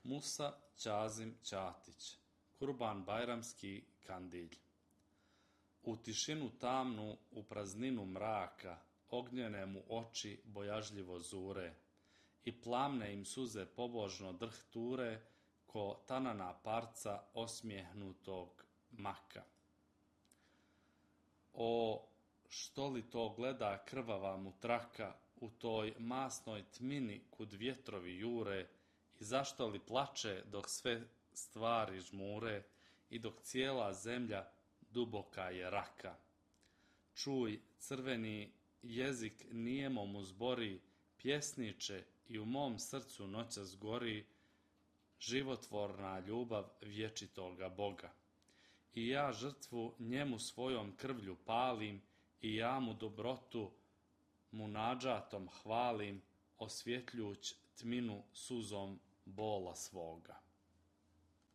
Musa Ćazim Ćatić, Kurban Bajramski Kandilj. U tišinu tamnu, u prazninu mraka, ognjene mu oči bojažljivo zure i plamne im suze pobožno drhture ko tanana parca osmijehnutog maka. O, što li to gleda krvava mu traka u toj masnoj tmini kud vjetrovi jure i zašto li plače dok sve stvari žmure i dok cijela zemlja duboka je raka. Čuj, crveni jezik nijemo mu zbori, pjesniče i u mom srcu noćas gori životvorna ljubav vječitoga Boga. I ja žrtvu njemu svojom krvlju palim i ja mu dobrotu munadžatom hvalim, osvjetljuć tminu suzom bola svoga.